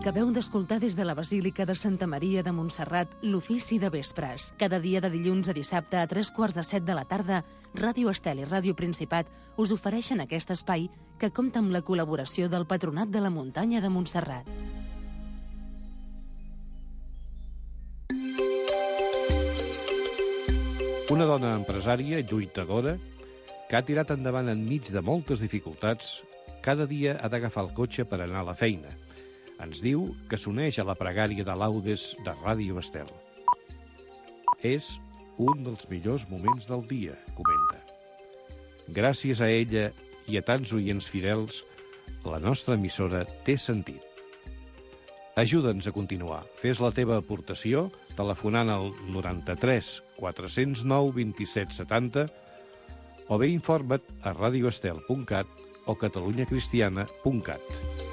Acabeu d'escoltar des de la Basílica de Santa Maria de Montserrat l'ofici de vespres. Cada dia de dilluns a dissabte a 3:45 de la tarda, Ràdio Estel i Ràdio Principat us ofereixen aquest espai que compta amb la col·laboració del Patronat de la Muntanya de Montserrat. Una dona empresària, lluitadora, que ha tirat endavant enmig de moltes dificultats, cada dia ha d'agafar el cotxe per anar a la feina. Ens diu que s'uneix a la pregària de laudes de Ràdio Estel. És un dels millors moments del dia, comenta. Gràcies a ella i a tants oients fidels, la nostra emissora té sentit. Ajuda'ns a continuar. Fes la teva aportació telefonant al 93 409 27 70 o bé informa't a radioestel.cat o catalunyacristiana.cat.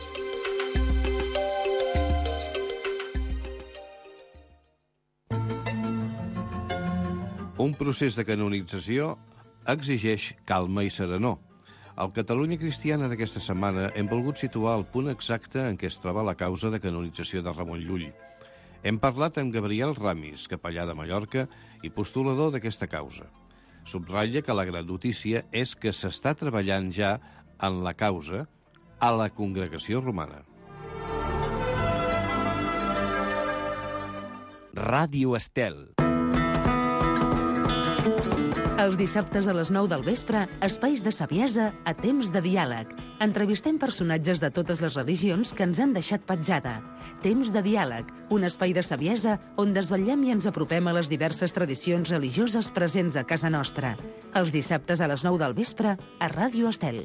Un procés de canonització exigeix calma i serenor. Al Catalunya Cristiana d'aquesta setmana hem volgut situar el punt exacte en què es troba la causa de canonització de Ramon Llull. Hem parlat amb Gabriel Ramis, capellà de Mallorca i postulador d'aquesta causa. Subratlla que la gran notícia és que s'està treballant ja en la causa a la Congregació Romana. Ràdio Estel. Els dissabtes a les 9 del vespre, espais de saviesa a temps de diàleg. Entrevistem personatges de totes les religions que ens han deixat petjada. Temps de diàleg, un espai de saviesa on desvetllem i ens apropem a les diverses tradicions religioses presents a casa nostra. Els dissabtes a les 9 del vespre a Ràdio Estel.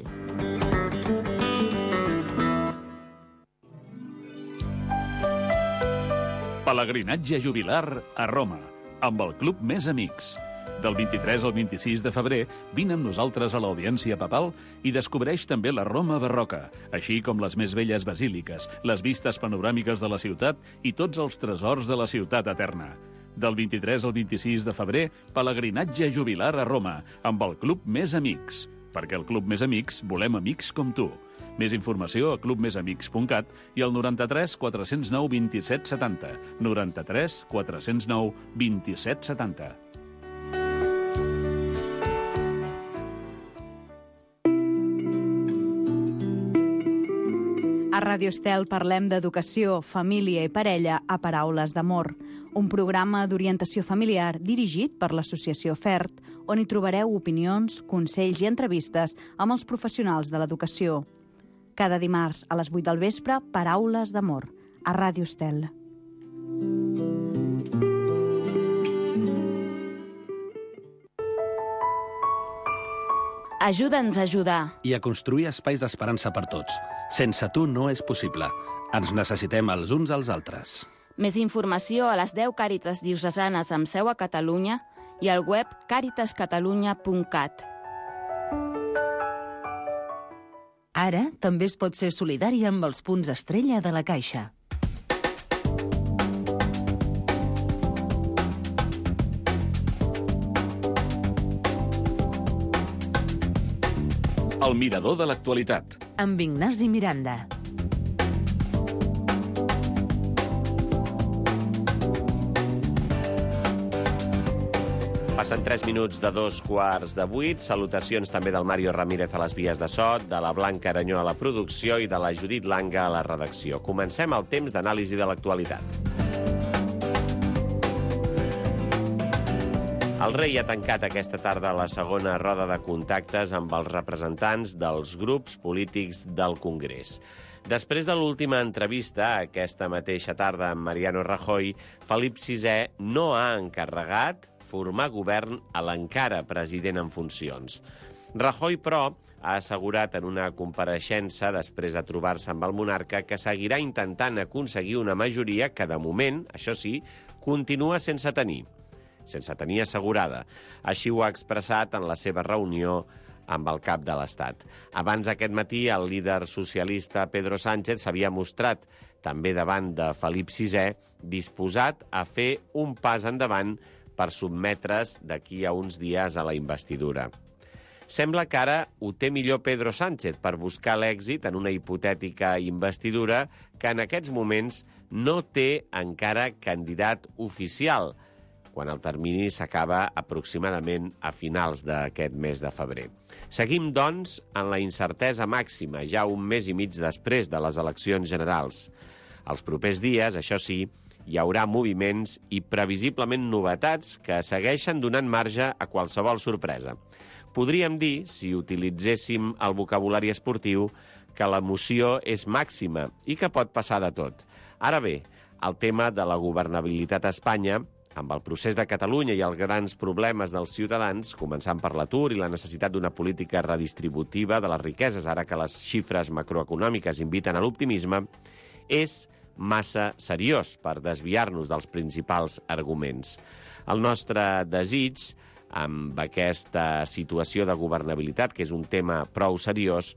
Pelegrinatge jubilar a Roma, amb el Club Més Amics. Del 23 al 26 de febrer, vine amb nosaltres a l'Audiència Papal i descobreix també la Roma barroca, així com les més belles basíliques, les vistes panoràmiques de la ciutat i tots els tresors de la ciutat eterna. Del 23 al 26 de febrer, pelegrinatge jubilar a Roma, amb el Club Més Amics. Perquè el Club Més Amics volem amics com tu. Més informació a clubmesamics.cat i al 93 409 27 70. 93 409 27 70. A Ràdio Estel parlem d'educació, família i parella a Paraules d'Amor, un programa d'orientació familiar dirigit per l'Associació FERT, on hi trobareu opinions, consells i entrevistes amb els professionals de l'educació. Cada dimarts a les 8 del vespre, Paraules d'Amor, a Ràdio Estel. Ajuda'ns a ajudar. I a construir espais d'esperança per tots. Sense tu no és possible. Ens necessitem els uns als altres. Més informació a les 10 Càritas diocesanes amb seu a Catalunya i al web caritascatalunya.cat. Ara també es pot ser solidari amb els punts estrella de la Caixa. El mirador de l'actualitat. Amb Ignasi Miranda. Passen 3 minuts de 7:15. Salutacions també del Mario Ramírez a les vies de so, de la Blanca Aranyó a la producció i de la Judit Langa a la redacció. Comencem el temps d'anàlisi de l'actualitat. El rei ha tancat aquesta tarda la segona roda de contactes amb els representants dels grups polítics del Congrés. Després de l'última entrevista, aquesta mateixa tarda amb Mariano Rajoy, Felip VI no ha encarregat formar govern a l'encara president en funcions. Rajoy, però, ha assegurat en una compareixença després de trobar-se amb el monarca que seguirà intentant aconseguir una majoria que, de moment, això sí, continua sense tenir assegurada. Així ho ha expressat en la seva reunió amb el cap de l'Estat. Abans aquest matí, el líder socialista Pedro Sánchez s'havia mostrat, també davant de Felip VI, disposat a fer un pas endavant per sotmetre's d'aquí a uns dies a la investidura. Sembla que ara ho té millor Pedro Sánchez per buscar l'èxit en una hipotètica investidura que en aquests moments no té encara candidat oficial, quan el termini s'acaba aproximadament a finals d'aquest mes de febrer. Seguim, doncs, en la incertesa màxima, ja un mes i mig després de les eleccions generals. Els propers dies, això sí, hi haurà moviments i previsiblement novetats que segueixen donant marge a qualsevol sorpresa. Podríem dir, si utilitzéssim el vocabulari esportiu, que l'emoció és màxima i que pot passar de tot. Ara bé, el tema de la governabilitat a Espanya, amb el procés de Catalunya i els grans problemes dels ciutadans, començant per l'atur i la necessitat d'una política redistributiva de les riqueses, ara que les xifres macroeconòmiques inviten a l'optimisme, és massa seriós per desviar-nos dels principals arguments. El nostre desig, amb aquesta situació de governabilitat, que és un tema prou seriós,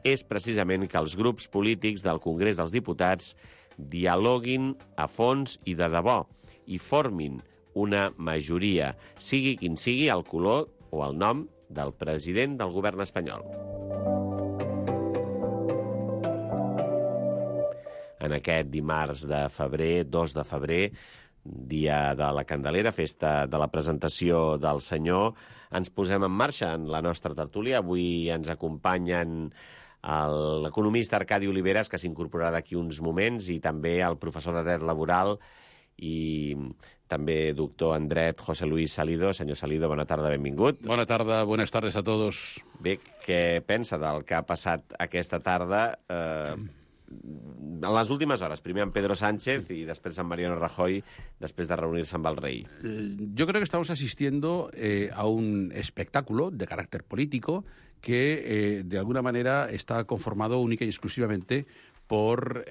és precisament que els grups polítics del Congrés dels Diputats dialoguin a fons i de debò i formin una majoria, sigui quin sigui el color o el nom del president del govern espanyol. En aquest dimarts de febrer, 2 de febrer, dia de la Candelera, festa de la presentació del Senyor. Ens posem en marxa en la nostra tertúlia. Avui ens acompanyen l'economista Arcadi Oliveres, que s'incorporarà d'aquí uns moments, i també el professor de dret laboral i també doctor en dret, José Luis Salido. Senyor Salido, bona tarda, benvingut. Bona tarda, buenas tardes a todos. Bé, què pensa del que ha passat aquesta tarda en les últimes hores? Primer amb Pedro Sánchez y després amb Mariano Rajoy, després de reunir-se amb el rei. Yo creo que estamos asistiendo a un espectáculo de carácter político que de alguna manera está conformado única y exclusivamente por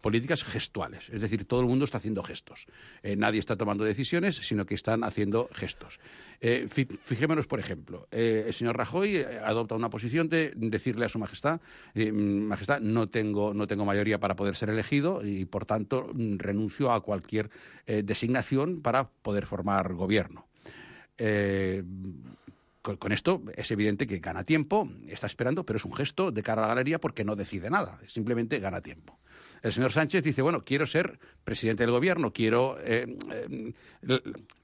políticas gestuales. Es decir, todo el mundo está haciendo gestos. Nadie está tomando decisiones, sino que están haciendo gestos. Fijémonos, por ejemplo, el señor Rajoy adopta una posición de decirle a su majestad, majestad, no tengo mayoría para poder ser elegido y, por tanto, renuncio a cualquier designación para poder formar gobierno. Con esto es evidente que gana tiempo, está esperando, pero es un gesto de cara a la galería porque no decide nada, simplemente gana tiempo. El señor Sánchez dice, bueno, quiero ser presidente del gobierno, quiero...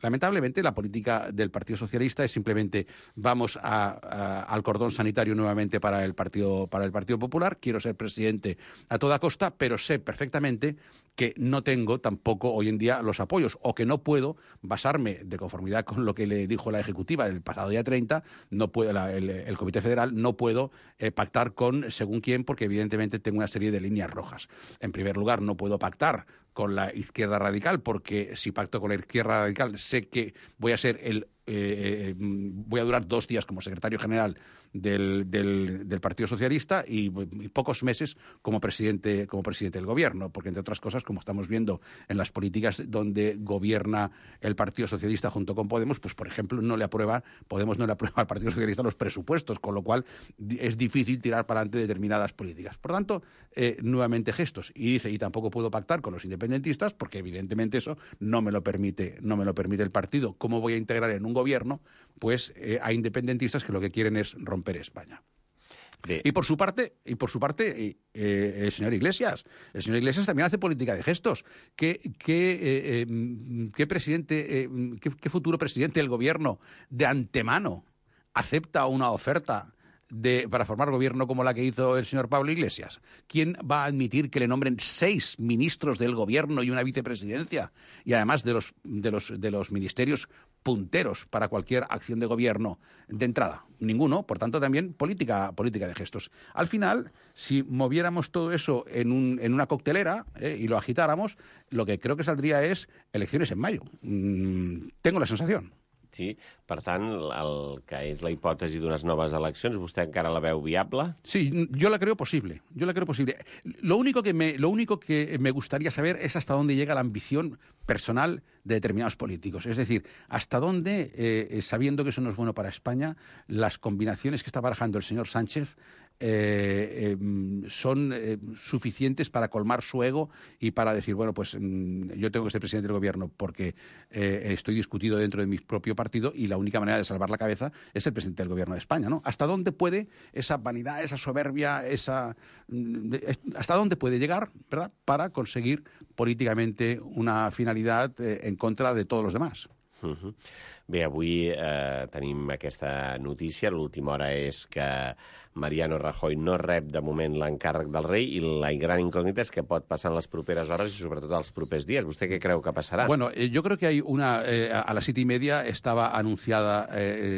lamentablemente, la política del Partido Socialista es simplemente vamos al cordón sanitario nuevamente para el Partido Popular, quiero ser presidente a toda costa, pero sé perfectamente que no tengo tampoco hoy en día los apoyos o que no puedo basarme, de conformidad con lo que le dijo la Ejecutiva el pasado día 30, no puedo, el Comité Federal, no puedo pactar con según quién, porque evidentemente tengo una serie de líneas rojas. En primer lugar, no puedo pactar con la izquierda radical, porque si pacto con la izquierda radical sé que voy a ser voy a durar 2 días como secretario general del Partido Socialista y pocos meses como presidente del gobierno, porque entre otras cosas, como estamos viendo en las políticas donde gobierna el Partido Socialista junto con Podemos, pues por ejemplo Podemos no le aprueba al Partido Socialista los presupuestos, con lo cual es difícil tirar para adelante determinadas políticas. Por tanto, nuevamente gestos. Y dice, y tampoco puedo pactar con los independentistas, porque evidentemente eso no me lo permite el partido. ¿Cómo voy a integrar en un gobierno pues a independentistas que lo que quieren es romper España? Sí. Y por su parte, el señor Iglesias también hace política de gestos. ¿Qué futuro presidente del gobierno de antemano acepta una oferta para formar gobierno como la que hizo el señor Pablo Iglesias? ¿Quién va a admitir que le nombren 6 ministros del gobierno y una vicepresidencia? Y además de los ministerios punteros para cualquier acción de gobierno de entrada. Ninguno, por tanto también política de gestos. Al final, si moviéramos todo eso en una coctelera y lo agitáramos, lo que creo que saldría es elecciones en mayo. Tengo la sensación. Sí, per tant, el que és la hipòtesi d'unes noves eleccions, ¿vostè encara la veu viable? Sí, yo la creo posible. Lo único que me gustaría saber es hasta dónde llega la ambición personal de determinados políticos. Es decir, hasta dónde, sabiendo que eso no es bueno para España, las combinaciones que está barajando el señor Sánchez son suficientes para colmar su ego y para decir, bueno, pues yo tengo que ser presidente del gobierno porque estoy discutido dentro de mi propio partido y la única manera de salvar la cabeza es ser presidente del gobierno de España, ¿no? ¿Hasta dónde puede esa vanidad, esa soberbia, hasta dónde puede llegar, ¿verdad?, para conseguir políticamente una finalidad en contra de todos los demás? Bé, avui tenim aquesta notícia. L'última hora és que Mariano Rajoy no rep de moment l'encàrrec del rei i la gran incògnita és què pot passar en les properes hores i sobretot els propers dies. ¿Vostè què creu que passarà? Bueno, yo creo que hay a las 7:30 estaba anunciada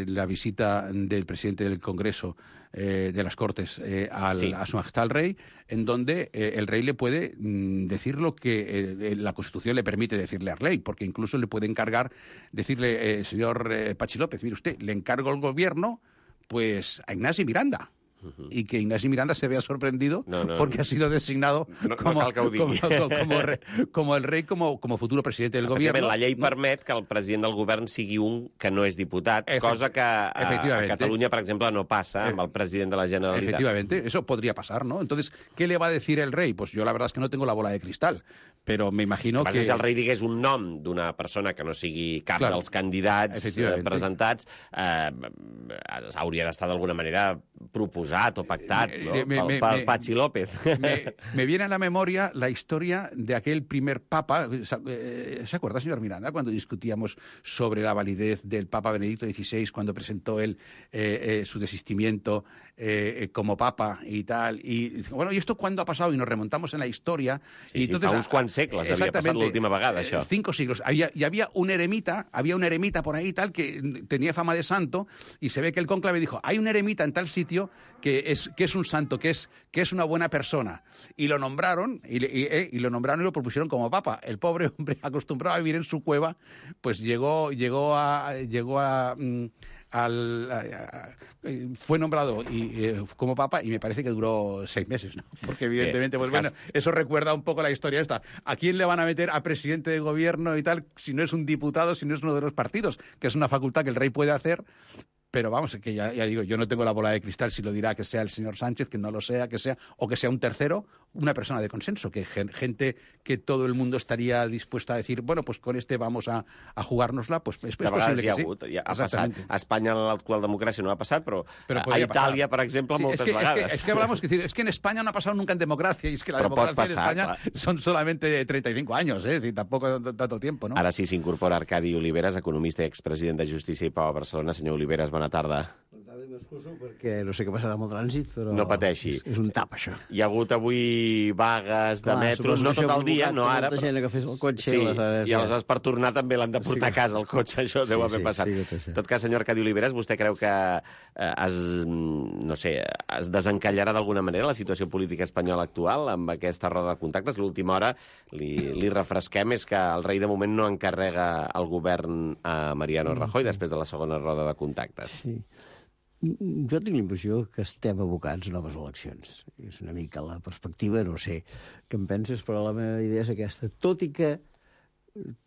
la visita del presidente del Congreso de las Cortes a su majestad el rey, en donde el rey le puede decir lo que la Constitución le permite decirle al rey, porque incluso le puede encargar, decirle, señor Pachi López, mire usted, le encargo el gobierno pues a Ignasi Miranda. Y que Ignasi Miranda se vea sorprendido porque ha sido designado como el rei, como futuro presidente del gobierno. La llei permet que el president del govern sigui un que no és diputat, cosa que a Catalunya, per exemple, no passa amb el president de la Generalitat. Efectivamente, eso podría pasar, ¿no? Entonces, ¿qué le va a decir el rey? Pues yo la verdad es que no tengo la bola de cristal, però m'imagino que... Si el rei digués un nom d'una persona que no sigui cap dels candidats presentats, hauria d'estar d'alguna manera proposat o pactat pel Patxi López. Me viene a la memoria la historia de aquel primer papa. ¿Se acuerda, señor Miranda, cuando discutíamos sobre la validez del Papa Benedicto XVI, cuando presentó él su desistimiento como papa y tal? Y bueno, ¿y esto cuándo ha pasado? Y nos remontamos en la historia. Sí, y entonces, fa uns quants segles havia passat l'última vegada, això. 5 siglos. Y había un eremita por ahí tal que tenía fama de santo, y se ve que el cónclave dijo, hay un eremita en tal sitio que es un santo, que es una buena persona. Y lo nombraron, y lo propusieron como papa. El pobre hombre, acostumbrado a vivir en su cueva, pues fue nombrado como papa, y me parece que duró 6 meses, ¿no? Porque evidentemente, pues bueno, eso recuerda un poco la historia esta. ¿A quién le van a meter a presidente de gobierno y tal si no es un diputado, si no es uno de los partidos? Que es una facultad que el rey puede hacer. Pero vamos, que ya digo, yo no tengo la bola de cristal si lo dirá que sea el señor Sánchez, que no lo sea, o que sea un tercero, una persona de consenso, que gente que todo el mundo estaría dispuesta a decir, bueno, pues con este vamos a jugárnosla, pues es posible que sí. Ha passat. A Espanya l'actual democràcia no ha passat, però a Itàlia, per exemple, moltes vegades. Es que hablamos, es que en España no ha pasado nunca en democracia, y es que la democracia en España son solamente 35 años, es decir, tampoco tanto tiempo, ¿no? Ara sí s'incorpora Arcadi Oliveres, economista i expresident de Justícia i Pau a Barcelona. Senyor Oliveres, bona tarda. M'excuso perquè no sé què passarà amb el trànsit, però no pateixi. És un tap, això. Hi ha hagut avui vagues de metros, no tot el dia, no ara. Molta gent que fes el cotxe. Sí, i aleshores per tornar també l'han de portar a casa el cotxe, això deu haver passat. En tot cas, senyor Arcadi Oliveres, vostè creu que es desencallarà d'alguna manera la situació política espanyola actual amb aquesta roda de contactes? L'última hora, li refresquem, és que el rei de moment no encarrega el govern a Mariano Rajoy després de la segona roda de contactes. Sí. Jo tinc la impressió que estem abocats a noves eleccions. És una mica la perspectiva, no sé què en penses, però la meva idea és aquesta. Tot i que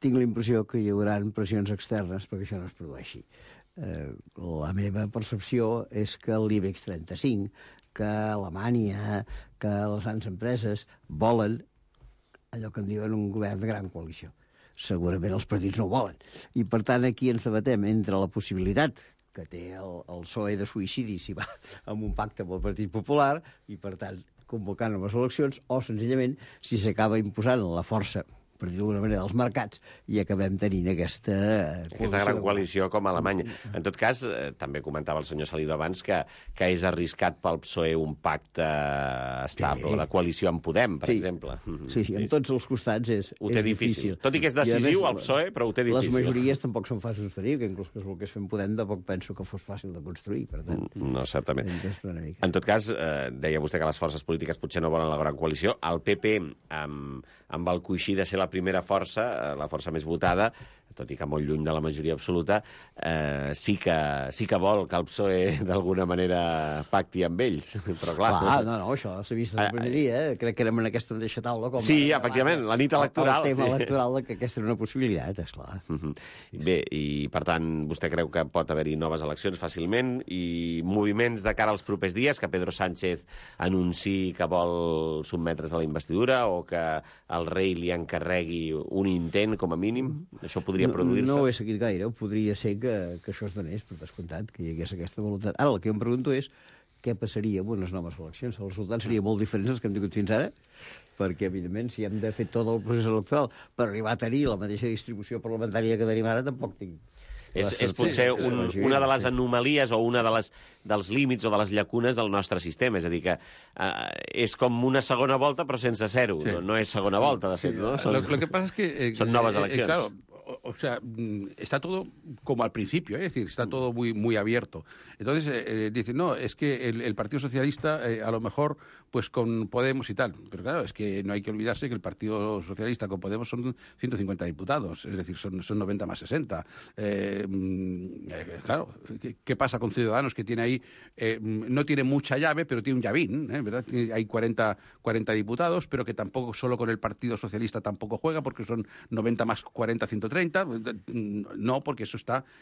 tinc la impressió que hi haurà pressions externes perquè això no es produeixi. La meva percepció és que l'IBEX 35, que Alemanya, que les grans empreses volen allò que en diuen un govern de gran coalició. Segurament els partits no ho volen. I, per tant, aquí ens debatem entre la possibilitat que té el PSOE de suïcidi si va amb un pacte amb el Partit Popular i, per tant, convocant noves eleccions, o, senzillament, si s'acaba imposant la força, per dir d'alguna manera, dels mercats, i acabem tenint aquesta gran coalició com a Alemanya. En tot cas, també comentava el senyor Salido abans que és arriscat pel PSOE un pacte estable, la coalició amb Podem, per exemple. Sí, en tots els costats és difícil. Tot i que és decisiu el PSOE, però ho té difícil. Les majories tampoc són fàcils de tenir, que inclús que es volgués fer en Podem tampoc penso que fos fàcil de construir, per tant. No, certament. En tot cas, deia vostè que les forces polítiques potser no volen la gran coalició. El PP, amb el coixí de ser la primera força, la força més votada, tot i que molt lluny de la majoria absoluta, sí que vol que el PSOE d'alguna manera pacti amb ells. Però clar... No, això s'ha vist el primer dia, crec que érem en aquesta mateixa taula. Sí, efectivament, la nit electoral. El tema electoral, que aquesta era una possibilitat, esclar. Bé, i per tant, vostè creu que pot haver-hi noves eleccions fàcilment i moviments de cara als propers dies, que Pedro Sánchez anunciï que vol sotmetre's a la investidura o que el rei li encarregui un intent, com a mínim? Això podria produir-se? No ho he seguit gaire. Podria ser que això es donés, per descomptat, que hi hagués aquesta voluntat. Ara, el que em pregunto és què passaria amb unes noves eleccions. Els resultats serien molt diferents dels que hem tingut fins ara, perquè, evidentment, si hem de fer tot el procés electoral per arribar a tenir la mateixa distribució parlamentària que tenim ara, tampoc tinc... És potser una de les anomalies o una dels límits o de les llacunes del nostre sistema. És a dir, que és com una segona volta però sense zero. No és segona volta, de fet. ¿no? Lo que pasa es que... Son noves eleccions. Claro, o sea, está todo como al principio, es decir, está todo muy abierto. Entonces, dicen, no, es que el Partido Socialista a lo mejor pues con Podemos y tal. Pero claro, es que no hay que olvidarse que el Partido Socialista con Podemos son 150 diputados, es decir, son 90 más 60. Claro, ¿qué pasa con Ciudadanos que tiene ahí, no tiene mucha llave, pero tiene un llavín, ¿verdad? Hay 40 diputados, pero que tampoco solo con el Partido Socialista tampoco juega, porque son 90 más 40, 130. No, porque eso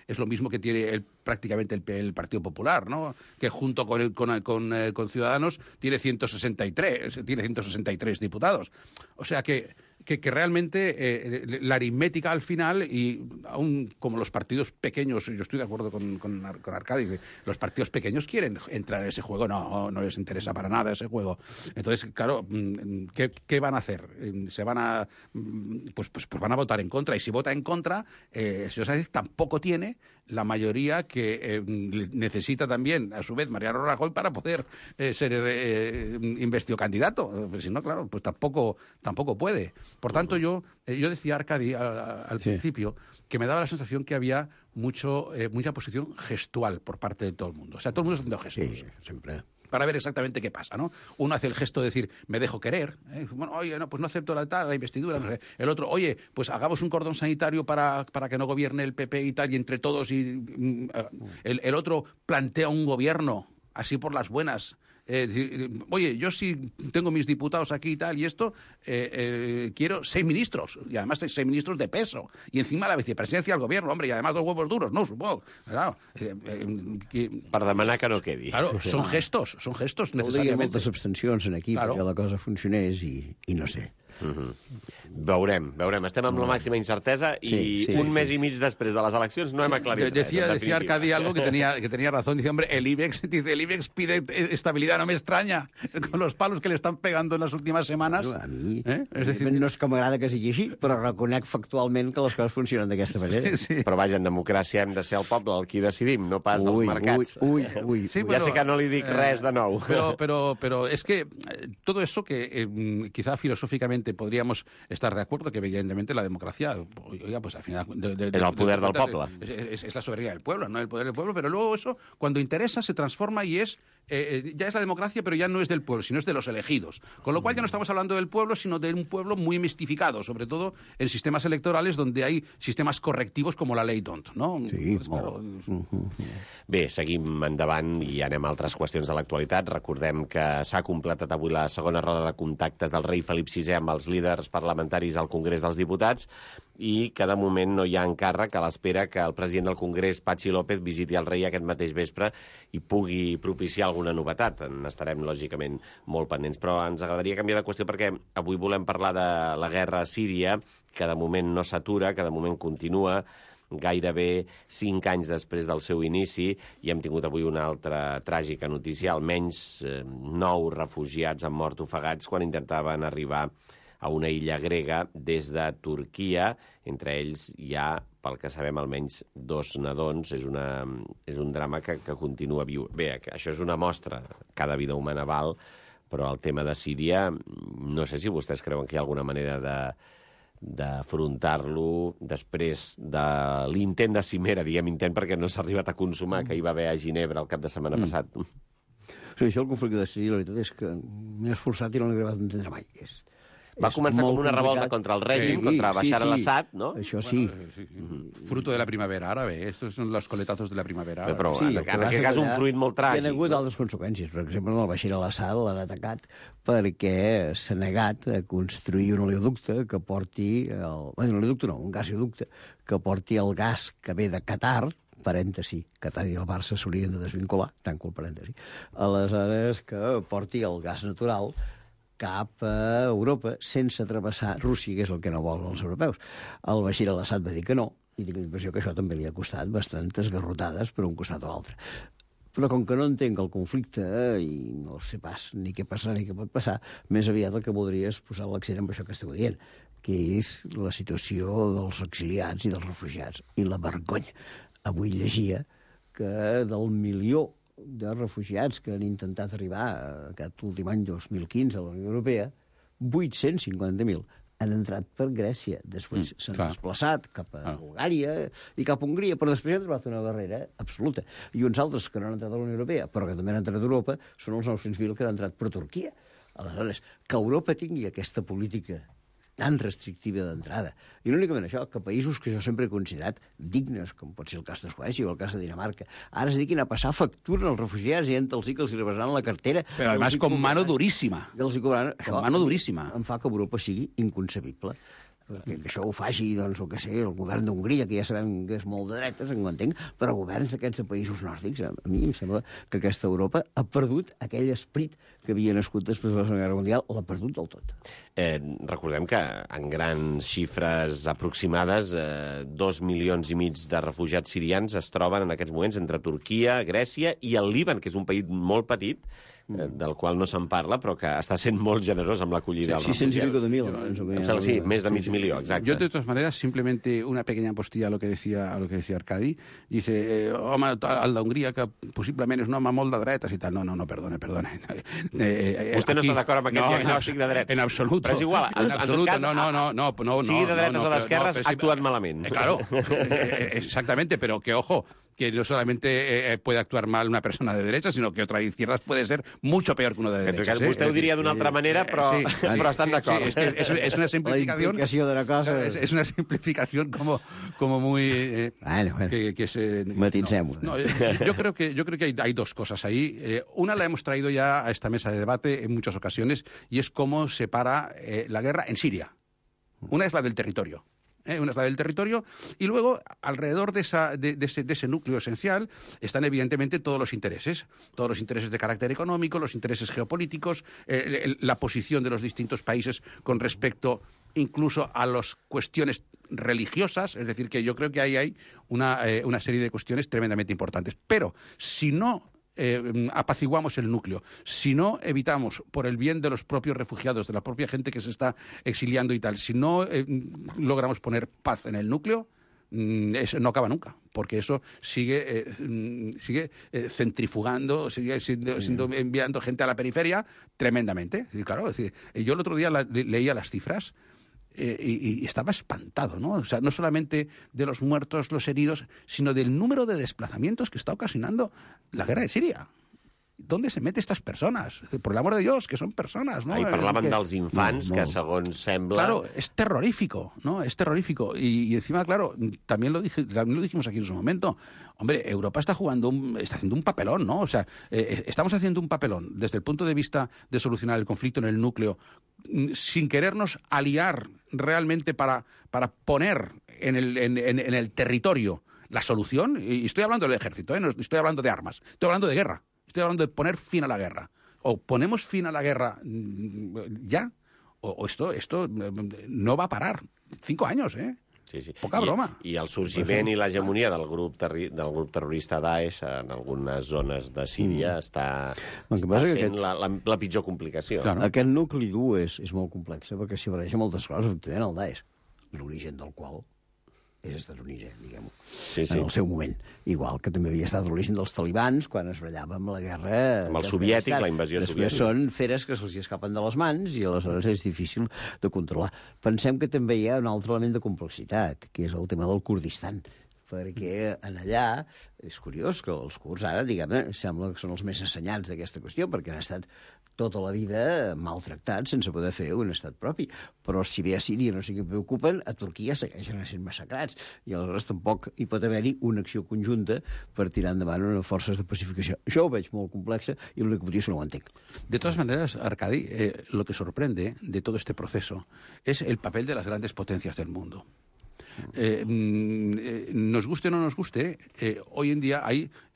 es lo mismo que tiene prácticamente el Partido Popular, ¿no? Que junto con Ciudadanos tiene 163 diputados. O sea que que realmente la aritmética al final, y aún como los partidos pequeños, yo estoy de acuerdo con Arcadi, que los partidos pequeños quieren entrar en ese juego, no les interesa para nada ese juego. Entonces, claro, ¿qué van a hacer? Se van a pues van a votar en contra, y si vota en contra, señor Sánchez tampoco tiene la mayoría que necesita también, a su vez, Mariano Rajoy para poder ser investido candidato. Si no, claro, pues tampoco puede. Por tanto, yo decía, Arcadi, al principio, que me daba la sensación que había mucha posición gestual por parte de todo el mundo. O sea, todo el mundo está haciendo gestos. Sí, siempre. Para ver exactamente qué pasa, ¿no? Uno hace el gesto de decir, me dejo querer. Bueno, oye, no, pues no acepto la investidura. No sé. El otro, oye, pues hagamos un cordón sanitario para que no gobierne el PP y tal, y entre todos. El otro plantea un gobierno, así por las buenas. Oye, yo sí tengo mis diputados aquí y tal, y esto, quiero 6 ministros, y además 6 ministros de peso, y encima la vicepresidencia del gobierno, hombre, y además 2 huevos duros, ¿no? Supongo. Claro, per demanar que no quedi. Claro, són gestos necessàriament. Voldria moltes abstencions en aquí, Claro. perquè la cosa funcionés, i no sé. Veurem. Estem amb la màxima incertesa i un mes i mig després de les eleccions no hem aclarit res. Decía Arcadi algo que tenía razón. Dice, hombre, el IBEX pide estabilidad, no me extraña, con los palos que le están pegando en las últimas semanas. A mi És a dir, no és que m'agrada que sigui així, però reconec factualment que les coses funcionen d'aquesta manera. Però vaja, en democràcia hem de ser el poble el qui decidim, no pas els mercats. Ui. Sí, Ja sé que no li dic res de nou. Pero es que todo eso que quizá filosóficamente podríamos estar de acuerdo, que evidentemente la democracia, oiga, pues al final... Es el poder del poble. Es la soberanía del pueblo, no el poder del pueblo, pero luego eso, cuando interesa, se transforma y ya es la democracia, pero ya no es del pueblo, sino es de los elegidos. Con lo cual ya no estamos hablando del pueblo, sino de un pueblo muy mistificado, sobre todo en sistemas electorales donde hay sistemas correctivos como la ley D'Hondt, ¿no? Sí, Pues, claro, Bé, seguim endavant i anem a altres qüestions de l'actualitat. Recordem que s'ha completat avui la segona roda de contactes del rei Felip VI amb els líders parlamentaris al Congrés dels Diputats i que de moment no hi ha encàrrec a l'espera que el president del Congrés, Patxi López, visiti el rei aquest mateix vespre i pugui propiciar alguna novetat. En estarem, lògicament, molt pendents. Però ens agradaria canviar de qüestió perquè avui volem parlar de la guerra a Síria, que de moment no s'atura, que de moment continua, gairebé 5 anys després del seu inici, i hem tingut avui una altra tràgica notícia. Almenys 9 refugiats han mort ofegats quan intentaven arribar a una illa grega des de Turquia. Entre ells hi ha, pel que sabem, almenys 2 nadons. És un drama que continua viu. Bé, això és una mostra. Cada vida humana val, però el tema de Síria, no sé si vostès creuen que hi ha alguna manera d'afrontar-lo després de l'intent de cimera, diguem intent perquè no s'ha arribat a consumar, que hi va haver a Ginebra el cap de setmana passat. Sí, això el conflicte de Síria, la veritat és que m'he esforçat i no l'he acabat d'entendre mai. Va començar com una revolta contra el règim, contra Bashar al-Assad, ¿no? Això sí. Fruto de la primavera árabe. Estos son los coletazos de la primavera árabe. Però en aquest cas un fruit molt tràgic. Hi ha hagut altres conseqüències. Per exemple, el Bashar al-Assad l'han atacat perquè s'ha negat a construir un oleoducte que porti... un oleoducte no, un gasoducte que porti el gas que ve de Qatar, parèntesi, Qatar i el Barça s'haurien de desvincular, tanco el parèntesi, aleshores que porti el gas natural cap a Europa sense travessar Rússia, que és el que no volen els europeus. El Bashar al-Assad va dir que no, i tinc la impressió que això també li ha costat bastantes garrotades per un costat o l'altre. Però com que no entenc el conflicte i no sé pas ni què passarà ni què pot passar, més aviat el que voldria és posar l'accent en això que esteu dient, que és la situació dels exiliats i dels refugiats i la vergonya. Avui llegia que del 1.000.000 de refugiats que han intentat arribar aquest últim any 2015 a la Unió Europea, 850.000 han entrat per Grècia. Després s'han desplaçat cap a Bulgària i cap a Hongria, però després han trobat una barrera absoluta. I uns altres que no han entrat a la Unió Europea, però que també han entrat a Europa, són els 900.000 que han entrat per Turquia. Aleshores, que Europa tingui aquesta política tan restrictiva d'entrada. I no únicament això, que països que jo sempre he considerat dignes, com pot ser el cas de Suècia o el cas de Dinamarca, ara es dediquin a passar factura als refugiats i els que els rebasaran la cartera. Però además con mano durísima. Con mano durísima. Con mano durísima. Em fa que Europa sigui inconcebible. que això ho faci, doncs, el que sé, el govern d'Hongria, que ja sabem que és molt de dretes, ho entenc, però governs d'aquests països nòrdics, a mi em sembla que aquesta Europa ha perdut aquell esperit que havia nascut després de la Segona Guerra Mundial, l'ha perdut del tot. Recordem que en grans xifres aproximades 2,5 milions de refugiats sirians es troben en aquests moments entre Turquia, Grècia i el Líban, que és un país molt petit, del qual no se'n parla, però que està sent molt generós amb l'acollida dels refugiats. 600 y pico de mil. Sí, més de mig milió, exacte. Yo, de todas maneras, simplemente una pequeña postilla a lo que decía Arcadi. Dice, home, el d'Hongria, que possiblement és un home molt de dretes i tal. No, perdone. Vostè no està d'acord amb aquest diagnòstic de dretes? En absoluto. Però és igual, en absoluto, no. Sigui de dretes o d'esquerres, ha actuat malament. Claro, exactamente, pero que ojo, que no solamente puede actuar mal una persona de derecha, sino que otra de izquierdas puede ser mucho peor que uno de derechas. Vostè ho diria d'una altra manera, però estan d'acord. Es una simplificación. La implicació de la cosa... Es una simplificación como muy... Bueno. que se... Matincemos. No, yo creo que hay dos cosas ahí. Una la hemos traído ya a esta mesa de debate en muchas ocasiones, y es cómo se para la guerra en Siria. Una es la del territorio. Una es la del territorio, y luego, alrededor de ese núcleo esencial, están evidentemente todos los intereses de carácter económico, los intereses geopolíticos, la posición de los distintos países con respecto incluso a las cuestiones religiosas, es decir, que yo creo que ahí hay una serie de cuestiones tremendamente importantes. Pero si no apaciguamos el núcleo, si no evitamos, por el bien de los propios refugiados, de la propia gente que se está exiliando y tal, si no logramos poner paz en el núcleo, eso no acaba nunca, porque eso sigue centrifugando, sigue enviando gente a la periferia tremendamente. Y claro, es decir, yo el otro día leía las cifras y estaba espantado, ¿no? O sea, no solamente de los muertos, los heridos, sino del número de desplazamientos que está ocasionando la guerra de Siria. ¿Dónde se meten estas personas? Por el amor de Dios, que son personas, ¿no? Ahí parlaven dels infants, que segons sembla... Claro, es terrorífico, ¿no? Es terrorífico. Y encima, claro, también lo dijimos aquí en su momento. Hombre, Europa está haciendo un papelón, ¿no? O sea, estamos haciendo un papelón desde el punto de vista de solucionar el conflicto en el núcleo, sin querernos aliar realmente para poner en el territorio la solución. Y estoy hablando del ejército, no estoy hablando de armas, estoy hablando de guerra. Estoy hablando de poner fin a la guerra. O ponemos fin a la guerra ya, o esto no va a parar. 5 años, ¿eh? Sí. Poca broma. I el sorgiment i l'hegemonia del grup terrorista Daesh en algunes zones de Síria està sent la pitjor complicació. Claro. Aquest nucli dur és molt complex, perquè s'hi barreja moltes coses, obtenint el Daesh, l'origen del qual és estadounidense, diguem-ho, en el seu moment. Igual que també havia estat l'origen dels talibans quan es ballava amb la guerra... Amb el soviètic, la invasió soviètica. Després són feres que se'ls escapen de les mans i aleshores és difícil de controlar. Pensem que també hi ha un altre element de complexitat, que és el tema del Kurdistan, perquè allà és curiós que els kurds ara, diguem-ne, sembla que són els més assenyats d'aquesta qüestió, perquè han estat tota la vida maltractats sense poder fer un estat propi. Però si bé a Síria no sé què preocupen, a Turquia segueixen sent massacrats, i aleshores tampoc hi pot haver-hi una acció conjunta per tirar endavant unes forces de pacificació. Això ho veig molt complexa i l'únic que vull dir és que no ho entenc. De todas maneras, Arcadi, lo que sorprende de todo este proceso es el papel de las grandes potencias del mundo. Nos guste o no nos guste, hoy en día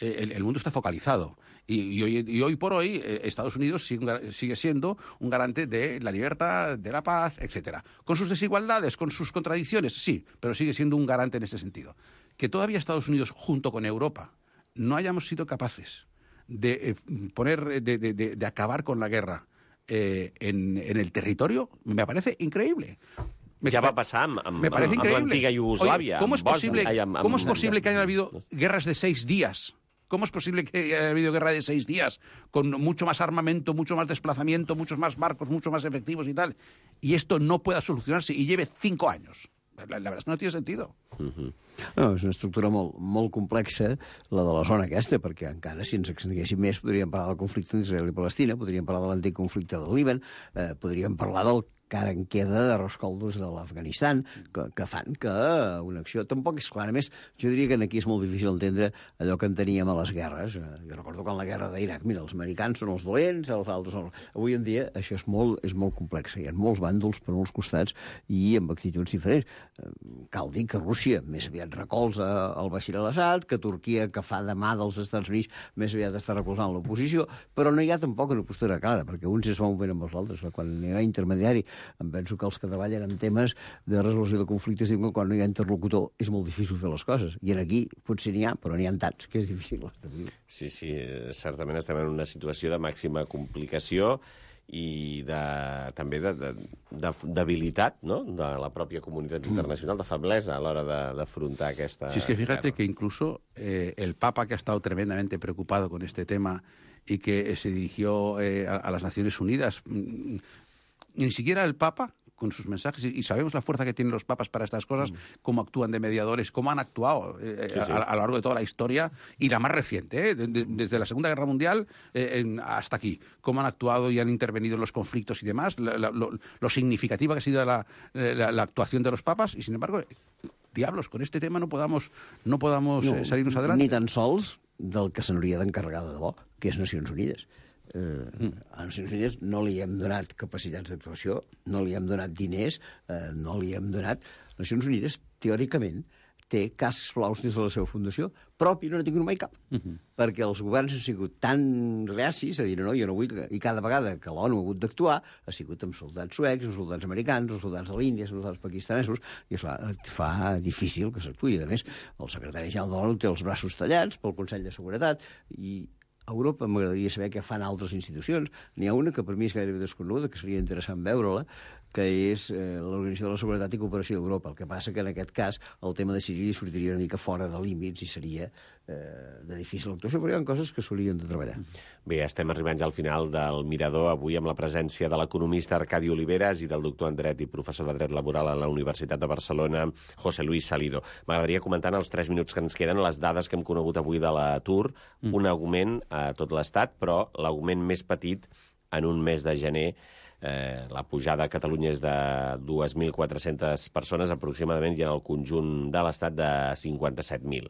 el mundo está focalizado. Y hoy por hoy Estados Unidos sigue siendo un garante de la libertad, de la paz, etcétera. Con sus desigualdades, con sus contradicciones, sí, pero sigue siendo un garante en ese sentido. Que todavía Estados Unidos, junto con Europa, no hayamos sido capaces de acabar con la guerra en el territorio, me parece increíble. Ja va passar amb l'antiga Iugoslàvia. ¿Cómo es posible que haya habido guerras de 6 días? ¿Cómo es posible que haya habido guerra de 6 días con mucho más armamento, mucho más desplazamiento, muchos más barcos, mucho más efectivos y tal, y esto no pueda solucionarse y lleve 5 años? La verdad es que no tiene sentido. No, és una estructura molt complexa, la de la zona aquesta, perquè encara, si ens extenguéssim més, podríem parlar del conflicte entre Israel i Palestina, podríem parlar de l'antic conflicte del Líban, podríem parlar del encara en queda de rescoldos de l'Afganistan, que fan que una acció tampoc és clara. A més, jo diria que aquí és molt difícil entendre allò que en teníem a les guerres. Jo recordo quan la guerra d'Iraq, mira, els americans són els dolents, els altres són... Avui en dia això és molt complex. Hi ha molts bàndols per molts costats i amb actituds diferents. Cal dir que Rússia més aviat recolza el Bashir al-Assad, que Turquia, que fa de mà dels Estats Units, més aviat està recolzant l'oposició, però no hi ha tampoc una postura clara, perquè uns es van movent amb els altres. Quan hi ha intermediari, em penso que els que treballen en temes de resolució de conflictes diuen que quan no hi ha interlocutor és molt difícil fer les coses. I aquí potser n'hi ha, però n'hi ha tants, que és difícil establir. Sí, certament estem en una situació de màxima complicació i també de debilitat, no?, de la pròpia comunitat internacional, de feblesa a l'hora d'afrontar aquesta... Sí, es que fíjate que incluso el Papa, que ha estado tremendamente preocupado con este tema y que se dirigió a las Naciones Unidas, ni siquiera el Papa, con sus mensajes, y sabemos la fuerza que tienen los papas para estas cosas, cómo actúan de mediadores, cómo han actuado a lo largo de toda la historia, y la más reciente, desde la Segunda Guerra Mundial hasta aquí, cómo han actuado y han intervenido en los conflictos y demás, lo significativa que ha sido la actuación de los papas, y sin embargo, diablos, con este tema no podamos salirnos adelante. Ni tan sols del que se n'hauria d'encarregar de debò, que és Nacions Unides. A Nacions Unides no li hem donat capacitats d'actuació, no li hem donat diners, no li hem donat... Nacions Unides, teòricament, té cascs blaus des de la seva fundació, propi no n'ha tingut mai cap, perquè els governs han sigut tan reacis a dir no, jo no vull... I cada vegada que l'ONU ha hagut d'actuar ha sigut amb soldats suecs, amb soldats americans, amb soldats de l'Índia, amb soldats pakistanesos, i esclar, fa difícil que s'actuï. A més, el secretari general de l'ONU té els braços tallats pel Consell de Seguretat, i a Europa m'agradaria saber què fan altres institucions. N'hi ha una que per mi és gairebé desconeguda, que seria interessant veure-la, que és l'Organització de la Seguretat i Cooperació d'Europa. El que passa que en aquest cas el tema de Síria sortiria una mica fora de límits i seria de difícil actuació, però hi ha coses que s'haurien de treballar. Bé, estem arribant ja al final del Mirador, avui amb la presència de l'economista Arcadi Oliveras i del doctor en Dret i professor de Dret Laboral a la Universitat de Barcelona, José Luis Salido. M'agradaria comentar en els 3 minuts que ens queden les dades que hem conegut avui de l'atur, un augment a tot l'Estat, però l'augment més petit en un mes de gener. La pujada a Catalunya és de 2.400 persones, aproximadament, i en el conjunt de l'Estat de 57.000.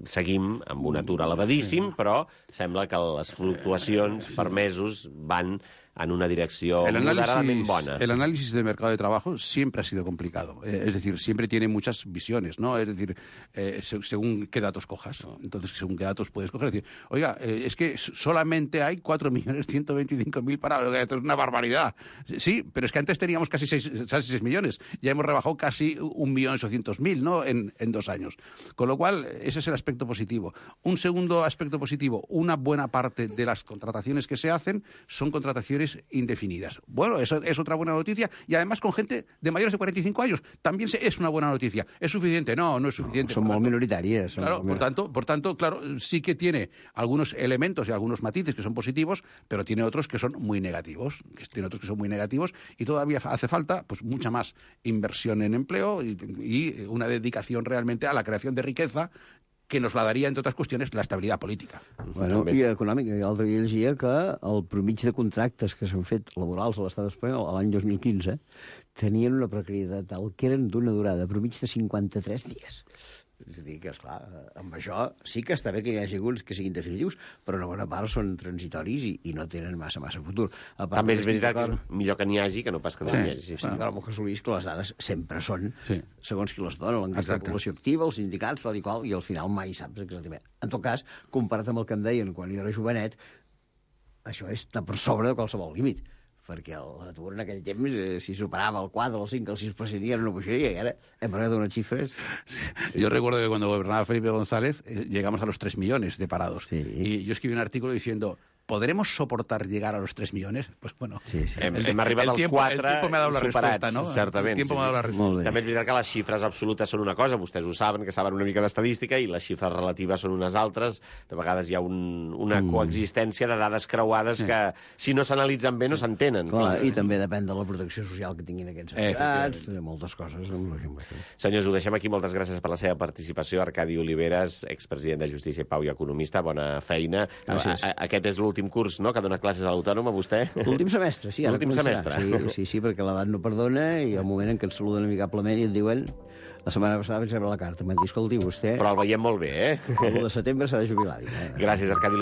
Seguim amb un atur elevadíssim, però sembla que les fluctuacions per mesos van en una direcció moderadament bona. El análisis del mercado de trabajo siempre ha sido complicado. Es decir, siempre tiene muchas visiones, ¿no? Es decir, según qué datos cojas. Entonces, según qué datos puedes coger. Es decir, oiga, es que solamente hay 4.125.000 parados. Esto es una barbaridad. Sí, pero es que antes teníamos casi 6 millones. Ya hemos rebajado casi 1.800.000, ¿no?, en 2 años. Con lo cual, ese es el aspecto positivo. Un segundo aspecto positivo, una buena parte de las contrataciones que se hacen son contrataciones indefinidas. Bueno, eso es otra buena noticia, y además con gente de mayores de 45 años. También es una buena noticia. ¿Es suficiente? No, no es suficiente. Son muy minoritarias. Claro, por tanto, claro, sí que tiene algunos elementos y algunos matices que son positivos, pero tiene otros que son muy negativos. Y todavía hace falta pues mucha más inversión en empleo y una dedicación realmente a la creación de riqueza, que nos la daria, entre altres qüestions, l'estabilitat política. Bueno, i econòmica. L'altre dia llegia que el promig de contractes que s'han fet laborals a l'estat espanyol l'any 2015 tenien una precarietat tal que eren d'una durada promig de 53 dies. És a dir, que, esclar, amb això sí que està bé que hi hagi alguns que siguin definitius, però una bona part són transitoris i no tenen massa futur. També és veritat que és millor que n'hi hagi que no pas que no n'hi hagi. Sí, clar, amb el José Luis, que les dades sempre són segons qui les dona, l'enquesta de població activa, els sindicats, tal i qual, i al final mai saps exactament. En tot cas, comparat amb el que em deien quan jo era jovenet, això està per sobre de qualsevol límit, perquè l'atur en aquell temps, si superava el 4, el 5, el 6%, era una bogeria, i ara hem arribat a unes xifres... Yo recuerdo que cuando gobernaba Felipe González llegamos a los 3 millones de parados. Y yo escribí un artículo diciendo... ¿Podremos soportar llegar a los 3 millones? Pues bueno, hem arribat als 4 el tiempo me ha dado la respuesta, ¿no? Certament. El tiempo me ha dado la respuesta. També és veritat que les xifres absolutes són una cosa, vostès ho saben, que saben una mica d'estadística, i les xifres relatives són unes altres. De vegades hi ha una coexistència de dades creuades que, si no s'analitzen bé, no s'entenen. I també depèn de la protecció social que tinguin aquests afectats, de moltes coses. Senyors, ho deixem aquí. Moltes gràcies per la seva participació. Arcadi Oliveras, expresident de Justícia i Pau i economista. Bona feina. Aquest és l'últim l'últim curs, no?, que dona classes a l'Autònoma, vostè? L'últim semestre, sí. L'últim semestre. Sí, perquè l'edat no perdona i al moment en què ens saluden amigablement i et diuen... La setmana passada vaig rebre la carta, m'han dit, escolti, vostè... Però el veiem molt bé, eh? El 1 de setembre s'ha de jubilar. Gràcies, Arcadi.